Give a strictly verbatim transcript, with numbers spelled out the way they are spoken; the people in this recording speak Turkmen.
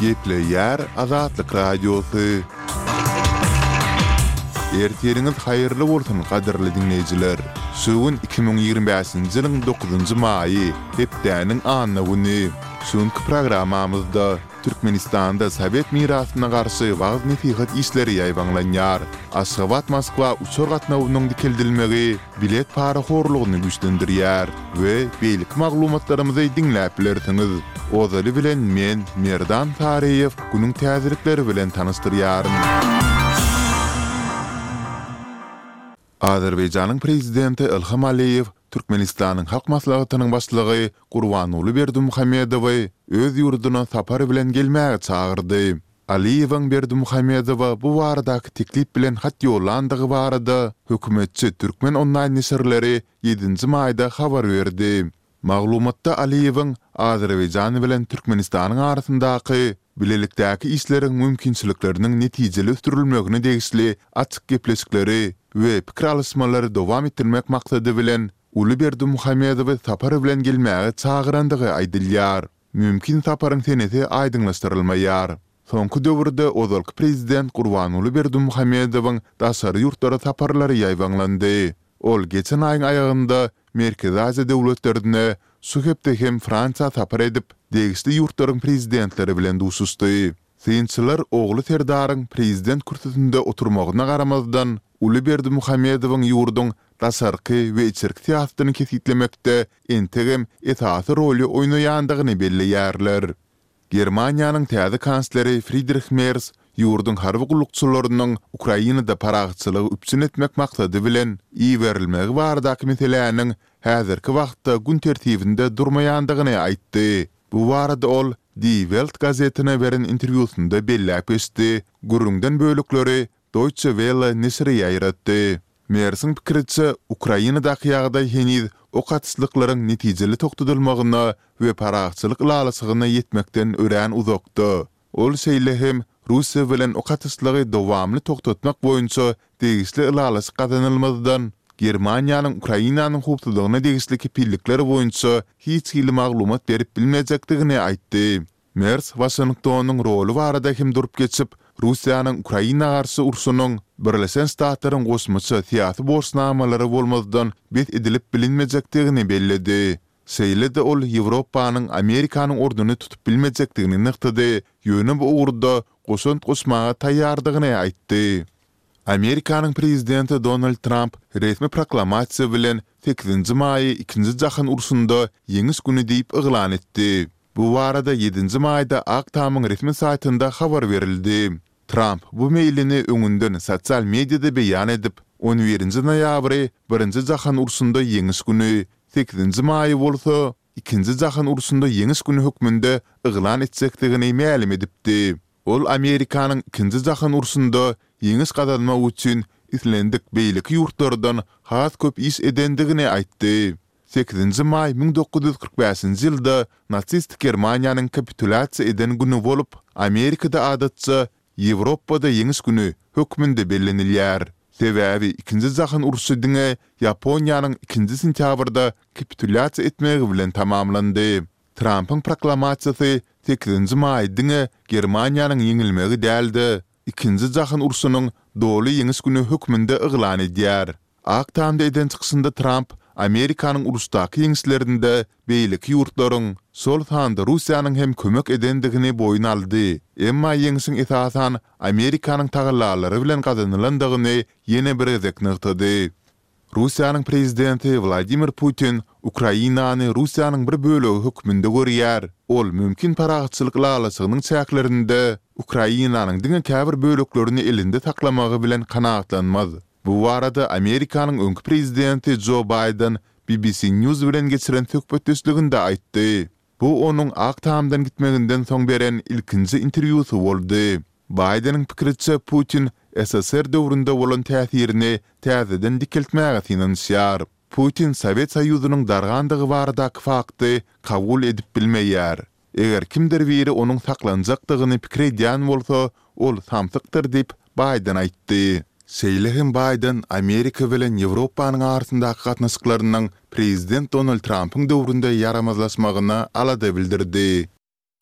Gepleýär Azatlyk Radiosy. Ertiriňiz haýyrly bolsun, gadyrly diňleýjiler! Şu gün iki müň ýigrimi bäşinji ýylyň dokuzynjy maýy, hepdäniň anna güni. Şu günki programmamyzda Türkmenistanda sowet mirasyna garşy wagyz-nesihat işleri ýaýbaňlanýar. Aşgabat-Moskwa uçar gatnawynyň dikeldilmegi bilet parahorlugyny güýçlendirýär we beýleki maglumatlarymyzy diňläp bilersiňiz. Ozaly bilen men, Merdan Saryýew, günüň täzelikleri bilen tanyşdyrýaryn. Azerbaýjanyň Prezidenti Ilham Aliýew Türkmenistanyň Halk Maslahatynyň Başlygy Gurbanguly Berdimuhamedowy öz ýurduna sapar bilen gelmäge çagyrdy. Aliýewiň Berdimuhamedowa bu baradaky teklip bilen hat ýollandygy barada hökümetçi Türkmen onlaýn neşirleri ýedinji maýda habar berdi. Maglumatda Aliýewiň Azerbaýjan bilen Türkmenistanyň arasyndaky bilelikdäki işleriň mümkinçilikleriniň netijeli ösdürilmegine degişli açyk gepleşikleri we pikir alyşmalary dowam etdirmek maksady bilen Uly Berdimuhamedowy sapar bilen gelmäge çagyrandygy aýdylýar. Mümkin saparyň senesi aýdyňlaşdyrylmaýar. Soňky döwürde ozalky prezident Gurbanguly Berdimuhamedowyň daşary ýurtlara saparlary ýaýbaňlandy. Ol geçen aýyň aýagynda Merkezi Aziýa döwletlerine, şu hepde hem Fransiýa sapar edip, degişli ýurtlaryň prezidentleri bilen duşuşdy. Synçylar ogly Serdaryň prezident kürsüsinde oturmagyna garamazdan, uly Berdimuhamedowyň ýurduň daşarky we içerki syýasatyny kesgitlemekde entegem esasy roly oýnaýandygyny belleýärler. Germaniýanyň täze kansleri Fridrih Mers ýurduň harby gullukçylarynyň Ukrainada parahatçylygy üpjün etmek maksady bilen iberilmegi baradaky meseläniň häzirki wagtda gün tertibinde durmaýandygyny aýtdy. Bu barada ol Die Welt gazetine beren interwýusynda belläp geçdi, gürrüňden bölekleri Deutsche Welle neşiri ýaýratdy. Mersiň pikiriçe, Ukrainadaky ýagdaý heniz ok atyşlyklaryň netijeli togtadylmagyna we parahatçylyk ylalaşygyna ýetmekden örän uzakda. Ol şeýle hem Russiýa bilen ok atyşlygy dowamly togtatmak boýunça degişli ylalaşyk gazanylmazdan, Germaniýanyň Ukrainanyň howpsuzlygyna degişli kepillikler boýunça hiç hili maglumat berip bilmejekdigini aýtdy. Mers Waşingtonyň roly barada hem durup geçip, Russiýanyň Ukraina garşy urşunyň Birleşen Ştatlaryň goşmaça syýasy borçnamalary bolmazdan bes edilip bilinmejekdigini belledi. Şeýle-de ol Ýewropanyň Amerikanyň ornuny tutup bilmejekdigini nygtady, ýöne bu ugurda goşant goşmaga taýýardygyny aýtdy. Amerikanyň prezidenti Donald Tramp resmi proklamasiýa bilen sekizinji maýy Ikinji jahan urşunda Ýeňiş güni diýip yglan etdi. Bu barada ýedinji maýda Ak tamyň resmi saýtynda habar berildi. Tramp bu meýlini öňünden sosial mediada beýan edip, on birinji noýabry Birinji jahan urşunda Ýeňiş güni, sekizinji maýy bolsa Ikinji jahan urşunda Ýeňiş güni hökmünde yglan etjekdigini mälim edipdi. Ol Amerikanyň Ikinji jahan urşunda ýeňiş gazanmak üçin islendik beýleki ýurtlardan has köp iş edendigini aýtdy. Sekizinji maý müň dokuz ýüz kyrk bäşinji ýylda nasistik Germaniýanyň kapitulýasiýa eden güni bolup, Amerikada adatça Ýewropada Ýeňiş güni hökmünde bellenilýär. Sebäbi Ikinji jahan urşy diňe Ýaponiýanyň ikinji sentýabrda kapitulýasiýa etmegi bilen tamamlandy. Trampyň proklamasiýasy sekizinji maý diňe Germaniýanyň ýeňilmegi däl-de, Ikinji jahan urşunyň doly ýeňiş güni hökmünde yglan edýär. Ak Tamda eden çykyşynda Tramp Amerikanyň uruşdaky ýeňişlerinde beýleki ýurtlaryň, şol sanda Russiýanyň hem kömek edendigini boýun aldy, emma ýeňşiň esasan Amerikanyň tagallalary bilen gazanylandygyny ýene bir gezek nygtady. Russiýanyň prezidenti Wladimir Putin Ukrainany Russiýanyň bir bölegi hökmünde görýär, ol mümkin parahatçylyk ylalaşygynyň çäklerinde Ukrainanyň diňe käbir böleklerini elinde saklamagy bilen kanagatlanmaz. Bu barada Amerikanyň öňki prezidenti Jo Baýden BBC News bilen geçiren söhbetdeşliginde aýtdy. Bu onuň Ak Tamdan gitmeginden soň beren ilkinji interwýusy boldy. Baýdeniň pikiriçe, Putin ssr döwründe bolan täsirini täzeden dikeltmäge synanyşýar. Putin Sowet Soýuzynyň dargandygy baradaky fakty kabul edip bilmeýär. Eger kimdir biri onuň saklanjakdygyny pikir edýän bolsa, ol samsykdyr diýip, Baýden aýtdy. Şeýle hem Baýden Amerika bilen Ýewropanyň arasyndaky gatnaşyklarynyň prezident Donald Trampyň döwründe ýaramazlaşmagyna alada bildirdi.